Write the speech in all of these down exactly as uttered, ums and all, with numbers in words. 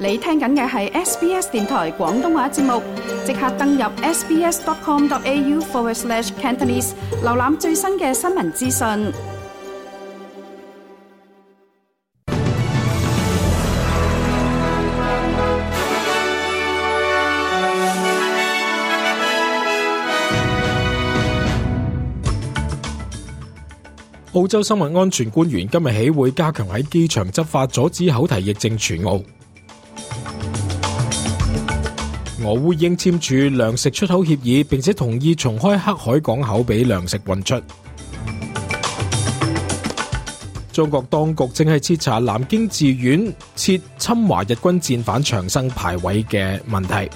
你聽緊嘅係 S B S 電台廣東話節目，即刻登入 sbs.com.au forward slash Cantonese， 瀏覽最新嘅新聞資訊。澳洲生物安全官員今日起會加強喺機場執法，阻止口蹄疫症傳澳。俄烏已經簽署糧食出口協議，並且同意重開黑海港口俾糧食運出。中國當局正係徹查南京寺院設侵華日軍戰犯長生牌位嘅問題。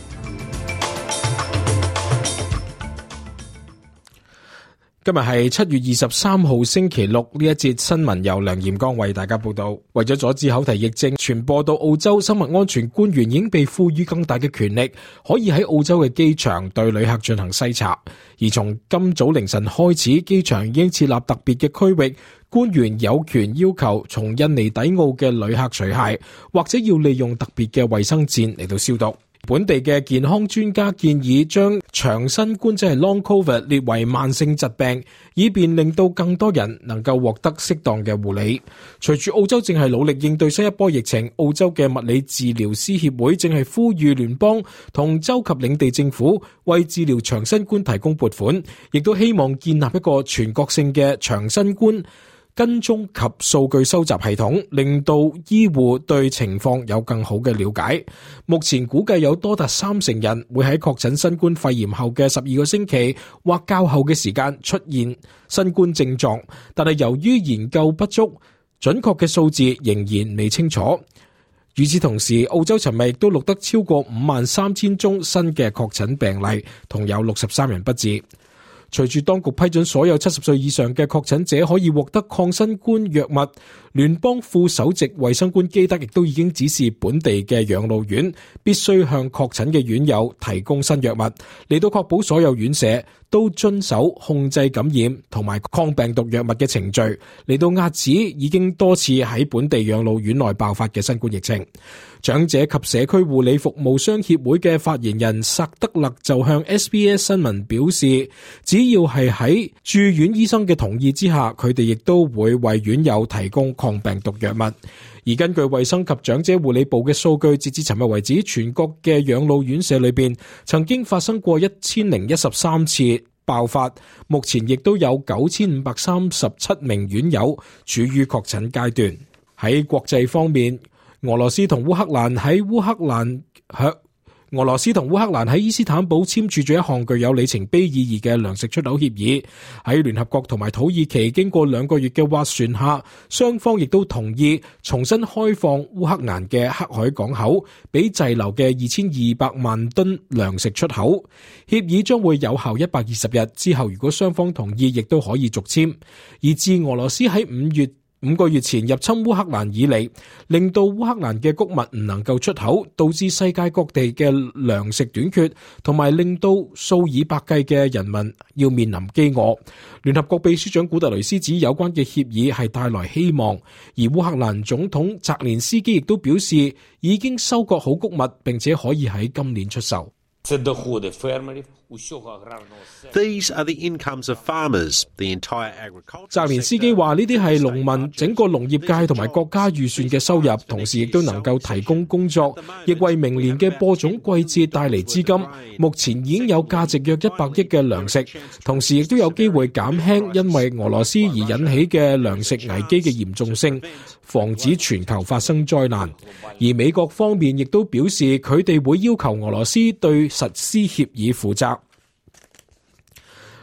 今日係七月二十三號星期六，呢一節新聞由梁炎光為大家報道。為咗阻止口蹄疫症傳播到澳洲，生物安全官員已經被賦予更大嘅權力，可以喺澳洲嘅機場對旅客進行篩查。而從今早凌晨開始，機場已經設立特別嘅區域，官員有權要求從印尼抵澳嘅旅客除鞋，或者要利用特別嘅衛生墊嚟到消毒。本地嘅健康專家建議將長新冠即係 Long Covid 列為慢性疾病，以便令到更多人能夠獲得適當嘅護理。隨住澳洲正係努力應對新一波疫情，澳洲嘅物理治療師協會正係呼籲聯邦同州及領地政府為治療長新冠提供撥款，亦都希望建立一個全國性嘅長新冠跟蹤及數據收集系統，令到醫護對情況有更好嘅了解。目前估計有多達三成人會喺確診新冠肺炎後嘅十二個星期或較後嘅時間出現新冠症狀，但係由於研究不足，準確嘅數字仍然未清楚。與此同時，澳洲尋日亦都錄得超過五萬三千宗新嘅確診病例，同有六十三人不治。隨住當局批准所有七十歲以上嘅確診者可以獲得抗新冠藥物，聯邦副首席衛生官基德亦都已經指示本地嘅養老院必須向確診嘅院友提供新藥物，嚟到確保所有院舍都遵守控制感染同埋抗病毒藥物嘅程序，嚟到遏止已經多次喺本地養老院內爆發嘅新冠疫情。長者及社區護理服務商協會嘅發言人薩德勒就向 S B S 新聞表示，只要係喺住院醫生嘅同意之下，佢哋亦都會為院友提供抗病毒藥物。而根據衛生及長者護理部嘅數據，截至尋日為止，全國嘅養老院舍裏邊曾經發生過一千零一十三次爆發，目前亦都有九千五百三十七名院友處於確診階段。喺國際方面，俄羅斯同烏克蘭喺烏克蘭響俄羅斯同烏克蘭喺伊斯坦堡簽署咗一項具有里程碑意義嘅糧食出口協議。喺聯合國同埋土耳其經過兩個月嘅斡旋下，雙方亦都同意重新開放烏克蘭嘅黑海港口，俾滯留嘅二千二百萬噸糧食出口。協議將會有效一百二十日，之後如果雙方同意，亦都可以續簽。而自俄羅斯喺五月五個月前入侵烏克蘭以嚟，令到烏克蘭嘅穀物唔能夠出口，導致世界各地嘅糧食短缺，同埋令到數以百計嘅人民要面臨飢餓。聯合國秘書長古特雷斯指有關嘅協議係帶來希望，而烏克蘭總統澤連斯基亦都表示已經收割好穀物，並且可以喺今年出售。These are the incomes of farmers, the entire agriculture. 澤連斯基話呢啲係農民整個農業界同埋國家預算嘅收入，同時亦都能夠提供工作，亦為明年嘅播種季節帶嚟資金。目前已經有價值約一百億嘅糧食，同時亦都有機會減輕因為俄羅斯而引起嘅糧食危機嘅嚴重性，防止全球發生災難。而美國方面亦都表示佢哋會要求俄羅斯對實施協議負責。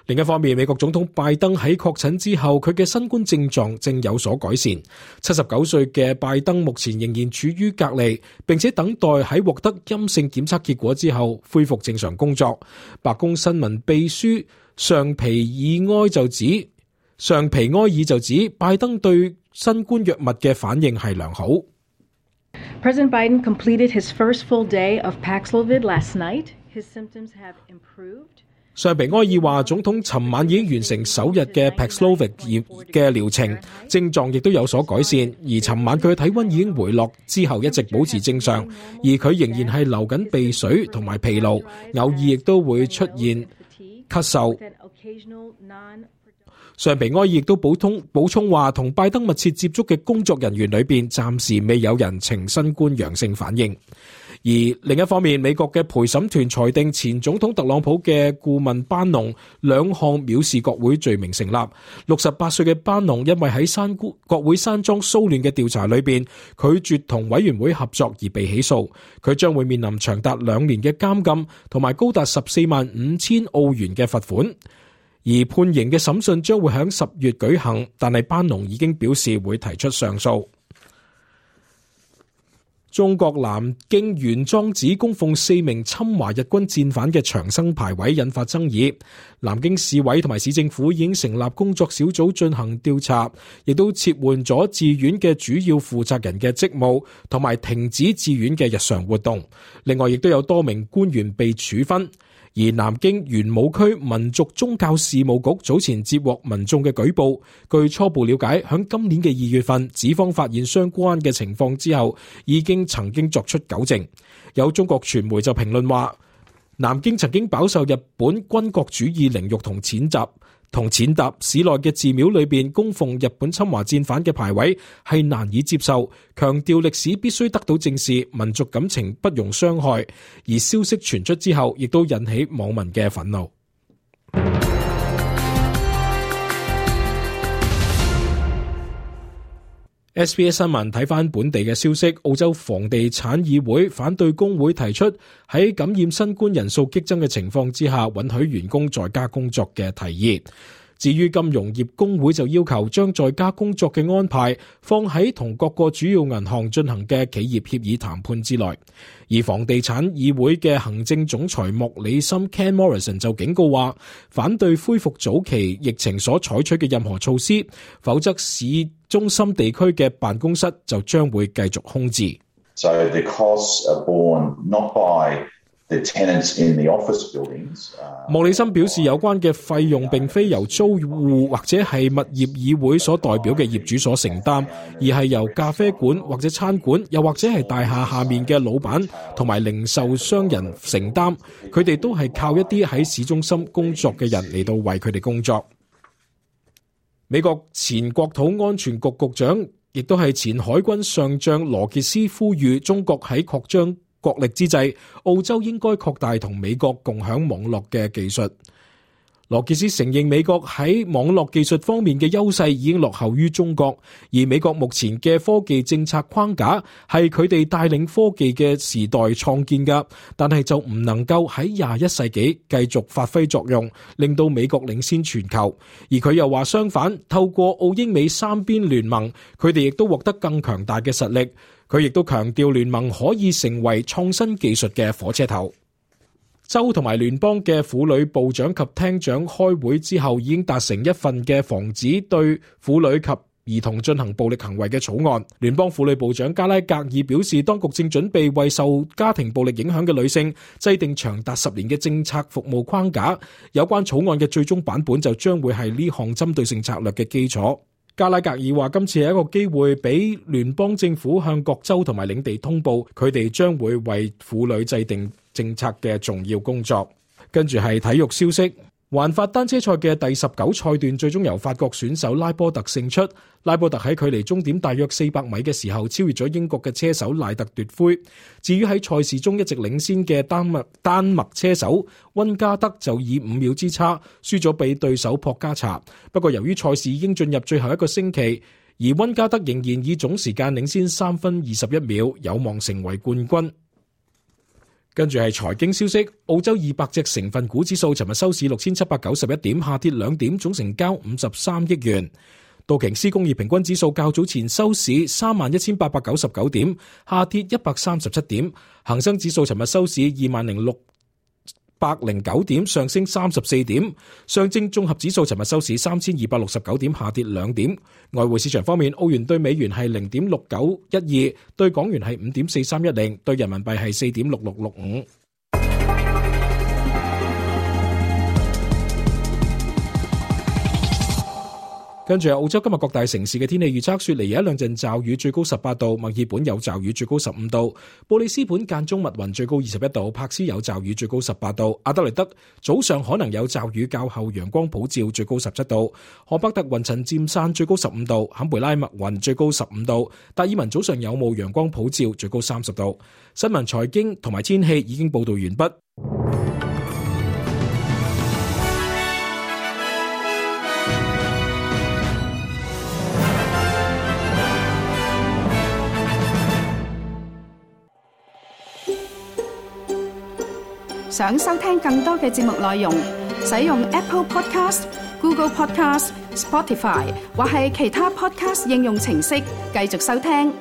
另一方面，美國總統拜登喺確診之後，佢嘅新冠症狀正有所改善。七十九歲嘅拜登目前仍然處於隔離，並且等待喺獲得陰性檢測結果之後恢復正常工作。白宮新聞秘書尚皮爾埃就指，尚皮埃爾就指拜登對新冠藥物嘅反應係良好。President Biden completed his first full day of Paxlovid last night. His symptoms have improved. 尚皮埃爾話，總統尋晚已經完成首日嘅 Paxlovid 嘅療程，症狀亦都有所改善，而尋晚佢嘅體溫已經回落，之後一直保持正常，而佢仍然係流緊鼻水同埋疲勞，偶爾亦都會出現咳嗽。尚皮埃爾亦都補充補充話，同拜登密切接觸嘅工作人員裏邊，暫時未有人呈新冠陽性反應。而另一方面，美國嘅陪審團裁定前總統特朗普嘅顧問班農兩項藐視國會罪名成立。六十八歲嘅班農因為喺山國會山莊騷亂嘅調查裏邊拒絕同委員會合作而被起訴，佢將會面臨長達兩年嘅監禁同埋高達十四萬五千澳元嘅罰款。而判刑嘅審訊將會喺十月舉行，但係班農已經表示會提出上訴。中國南京玄奘寺供奉四名侵華日軍戰犯嘅長生牌位引發爭議，南京市委同埋市政府已經成立工作小組進行調查，亦都撤換咗寺院嘅主要負責人嘅職務，同埋停止寺院嘅日常活動。另外，亦都有多名官員被處分。而南京玄武區民族宗教事務局早前接獲民眾嘅舉報，據初步了解，響今年嘅二月份，寺方發現相關嘅情況之後，已經曾經作出糾正。有中國傳媒就評論話，南京曾經飽受日本軍國主義凌辱同踐踏。同踐踏，市內嘅寺廟裏邊供奉日本侵華戰犯嘅牌位係難以接受，強調歷史必須得到正視，民族感情不容傷害。而消息傳出之後，亦都引起網民嘅憤怒。S B S 新聞睇返本地嘅消息，澳洲房地產議會反對工會提出喺感染新冠人數激增嘅情況之下，允許員工在家工作嘅提議。至於金融業工會就要求將在家工作嘅安排放喺同各個主要銀行進行嘅企業協議談判之內。而房地產議會嘅行政總裁莫里森 Ken Morrison 就警告話，反對恢復早期疫情所採取嘅任何措施，否則市中心地區嘅辦公室就將會繼續空置。So the costs are borne not by the tenants in the office buildings. 莫里森表示，有關嘅費用並非由租戶或者係物業議會所代表嘅業主所承擔，而係由咖啡館或者餐館，又或者係大廈下面嘅老闆同埋零售商人承擔。佢哋都係靠一啲喺市中心工作嘅人嚟到為佢哋工作。美國前國土安全局局長，亦都係前海軍上將羅傑斯呼籲中國喺擴張國力之際，澳洲應該擴大同美國共享網絡嘅技術。羅傑斯承認美國喺網絡技術方面嘅優勢已經落後於中國，而美國目前嘅科技政策框架係佢哋帶領科技嘅時代創建㗎，但係就唔能夠喺廿一世紀繼續發揮作用，令到美國領先全球。而佢又話相反，透過澳英美三邊聯盟，佢哋亦都獲得更強大嘅實力。佢亦都強調聯盟可以成為創新技術嘅火車頭。州同埋聯邦嘅婦女部長及廳長開會之後，已經達成一份嘅防止對婦女及兒童進行暴力行為嘅草案。聯邦婦女部長加拉格爾表示，當局正準備為受家庭暴力影響嘅女性制定長達十年嘅政策服務框架。有關草案嘅最終版本就將會係呢項針對性策略嘅基礎。加拉格爾話，今次係一個機會俾聯邦政府向各州同埋領地通報，佢哋將會為婦女制定政策嘅重要工作。跟住係體育消息，環法單車賽嘅第十九賽段最終由法國選手拉波特勝出。拉波特喺距離終點大約四百米嘅時候超越咗英國嘅車手賴特奪魁。至於喺賽事中一直領先嘅丹麥丹麥車手溫加德就以五秒之差輸咗俾對手博加查。不過由於賽事已經進入最後一個星期，而溫加德仍然以總時間領先三分二十一秒，有望成為冠軍。跟住係財經消息，澳洲二百隻成分股指數尋日收市六千七百九十一點，下跌兩點，總成交五十三億元。道瓊斯工業平均指數較早前收市三萬一千八百九十九點，下跌一百三十七點。恒生指數尋日收市二萬零六百零九點，上升三十四點。上證綜合指數尋日收市三千二百六十九點，下跌兩點。外匯市場方面，澳元對美元係零點六九一二，對港元係五點四三一零，對人民幣係四點六六六五。跟住澳洲今日各大城市嘅天氣預測，雪梨有一兩陣驟雨，最高十八度；墨爾本有驟雨，最高十五度；布里斯本間中密雲，最高二十一度；柏斯有驟雨，最高十八度；阿德萊德早上可能有驟雨，較後陽光普照，最高十七度；荷伯特雲層漸散，最高十五度；坎培拉密雲，最高十五度；達爾文早上有霧，陽光普照，最高三十度。新聞、財經同埋天氣已經報道完畢。想收聽更多嘅節目內容，使用 Apple Podcast、Google Podcast、Spotify 或係其他 Podcast 應用程式繼續收聽。